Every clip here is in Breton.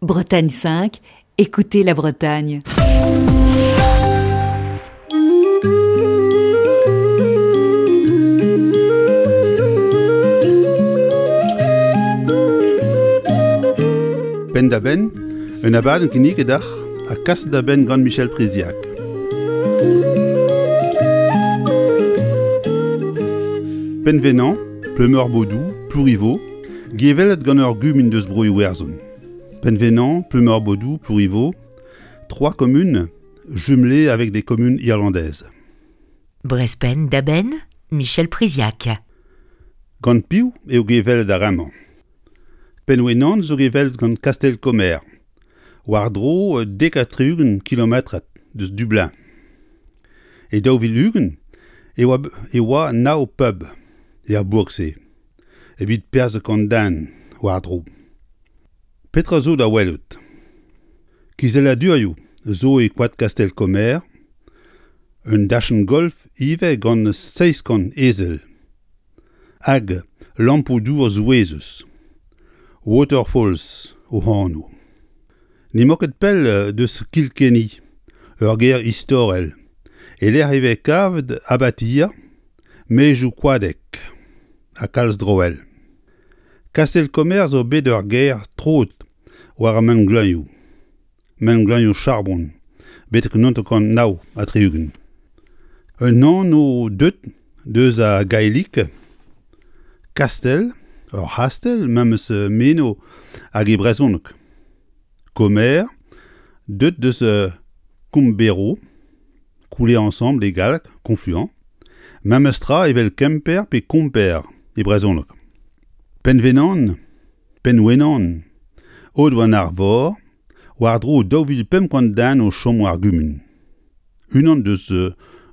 Bretagne 5, écoutez la Bretagne. Penn-da-benn, un abadenn kinniget deoc'h ha kaset da benn gant Michel Priziac. Penvenañ, Pleumeur-Bodou, Plourivo, gevellet gant ur gumun deus Bro-Iwerzhon. Penvenañ, Pleumeur-Bodou, Plourivo, trois communes jumelées avec des communes irlandaises. Brespenn da benn, Michel Priziac. Gant piv eo gevellet ar re-mañ? Penwenan zo gevellet gant Kastell-Komer, war-dro 70 kilometrad deus Dublin. E 2020 e oa, e oa nav pub er bourk-se evit perzh kant den war-dro. Petra zo da welout? Kizelladurioù zo e koad Kastell-Komer, un dachenn golf ivez gant 700 ezel hag lampoù-dour souezhus, Waterfalls o anv. N'emañ ket pell deus Kilkenny, ur gêr istorel, e-lec'h e vez kavet abatier, maezioù koadek ha kalz droell. Kastell-Komer zo bet ur gêr troet war ar mengleuzioù, mengleuzioù charbon, betek 1969. Un anv deuet deus a gaelic, kastell, ur c'hastell memes meno hag e brezhoneg. Komer, deuet deus Kombero, Couler ensemble e galleg, confluent, memes tra evel Kemper pe Komper e brezhoneg. Pennvenan, Pennwenan, Aodoù-an-Arvor, war-dro 2500 den o chom war gumun. Unan deus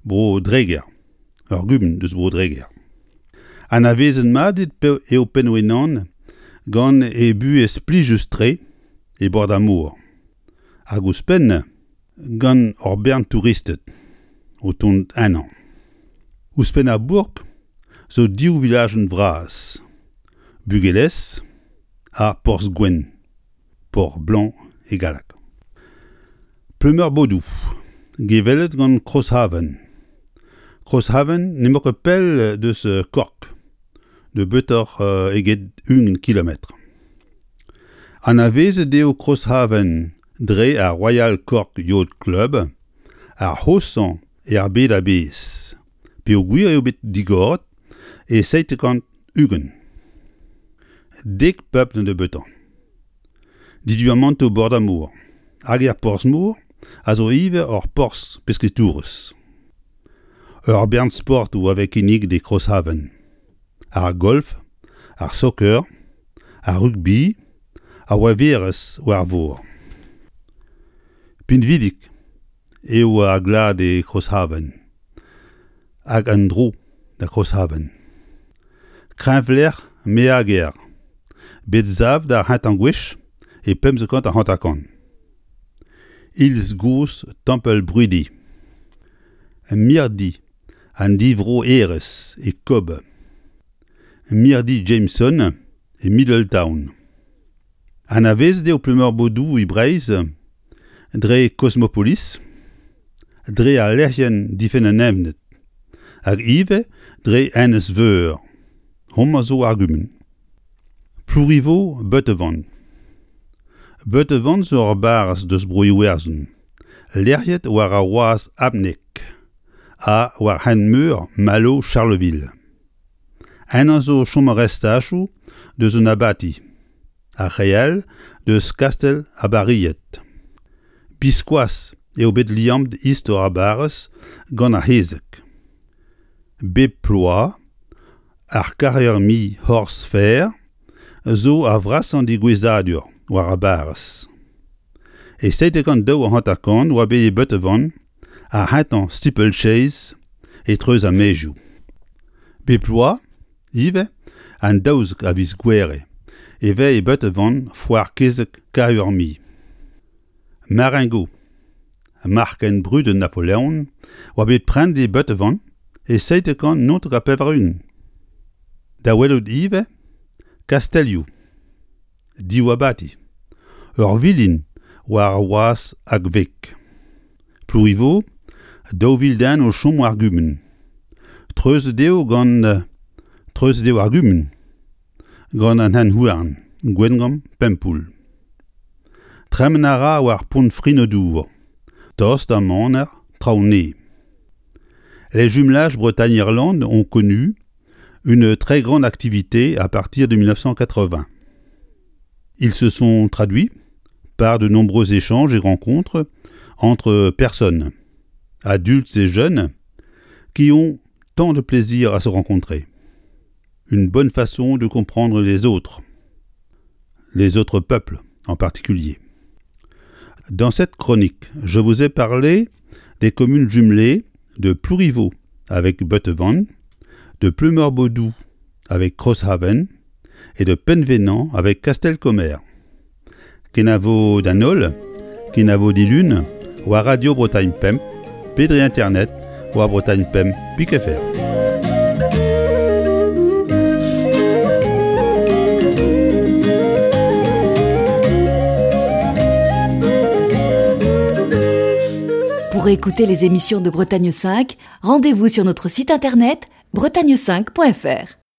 Bro-Dreger, ur gumun deus Bro-Dreger. Anavezet mat eo Pennwenan gant e buhez plijus-tre e bord ar mor. Hag ouzhpenn gant ur bern touristed o tont ennañ. Ouzhpenn ar bourk zo div vilajenn vras, Bugelez ha Porzh-Gwenn, Port Blanc e galleg. Pleumeur-Bodou, gevellet gant Crosshaven. Crosshaven n'emañ ket pell deus Cork, nebeutoc'h eget 1 kilometr. Anavezet eo Crosshaven dre ar Royal Cork Yacht Club, ar c'hoshañ er bed a-bezh, peogwir eo bet digoret e 720. Dek pub da nebeutañ. Diduamantoù bord ar mor hag er porzh-mor a zo ivez ur porzh pesketourezh. Ur bern sportoù a vez kinniget e Crosshaven. Ar golf, ar soccer, ar rugbi, ar waverezh war vor. Pinvidik eo ar glad e Crosshaven hag en-dro da Crosshaven. Kreñvlec'h Meager, bet savet ar c'hentañ gwech e 1550. Iliz gozh Templ Brudi. Mirdi an divroerezh e Kobe. Mirdi Jameson e Middletown. Anavezet eo Pleumeur-Bodou e Breizh dre Cosmopolis, dre al lec'hienn difenn an evned, hag ivez dre Enez-Veur. Homañ zo ar gumun. Plourivo Beutevant. Beutevant zo ur barrez deus Bro-Iwerzhon, lec'hiet war ar wazh Abneg ha war hent-meur Malo-Charleville. Ennañ zo chom ar restachoù deus un abati, ar re all deus kastell ar Baried. Biskoazh eo bet liammet istor ar barrez gant ar c'hezeg. Bep ploaz, ar Carrier-Mi Horse Fair zo ar vrasañ degouezhadur war ar barrez. E 1752 oa bet e Beutevant ar c'hentañ steeplechase e-treuz ar maezioù. Bep bloaz ivez, an 12 a viz Gouere, e vez e Beutevant foar kezeg Caermi. Marengo, marc'h ken brudet Napoleon, oa bet prenet e Beutevant e 1789. Da welout ivez kastellioù. Div abati. Ur vilin war ar wazh hag veg. Plourivo, 2000 den o chom war gumun. Treuzet eo gant treuzet eo ar gumun gant an hent-houarn Gwengamp Pempoull. Tremen a ra war pont Frinodour, tost da maner Traoñe. Les jumelages Bretagne-Irlande ont connu une très grande activité à partir de 1980. Ils se sont traduits par de nombreux échanges et rencontres entre personnes, adultes et jeunes, qui ont tant de plaisir à se rencontrer. Une bonne façon de comprendre les autres, les autres peuples en particulier. Dans cette chronique, je vous ai parlé des communes jumelées de Plourivo avec Buttevant, de Pleumeur-Bodou avec Crosshaven et de Penvénan avec Castelcomer. Kenavo d'an holl, kenavo dilun, war Radio Bretagne Pemp, pe dre internet war Bretagne Pemp pik fr. Pour écouter les émissions de Bretagne 5, rendez-vous sur notre site internet bretagne5.fr.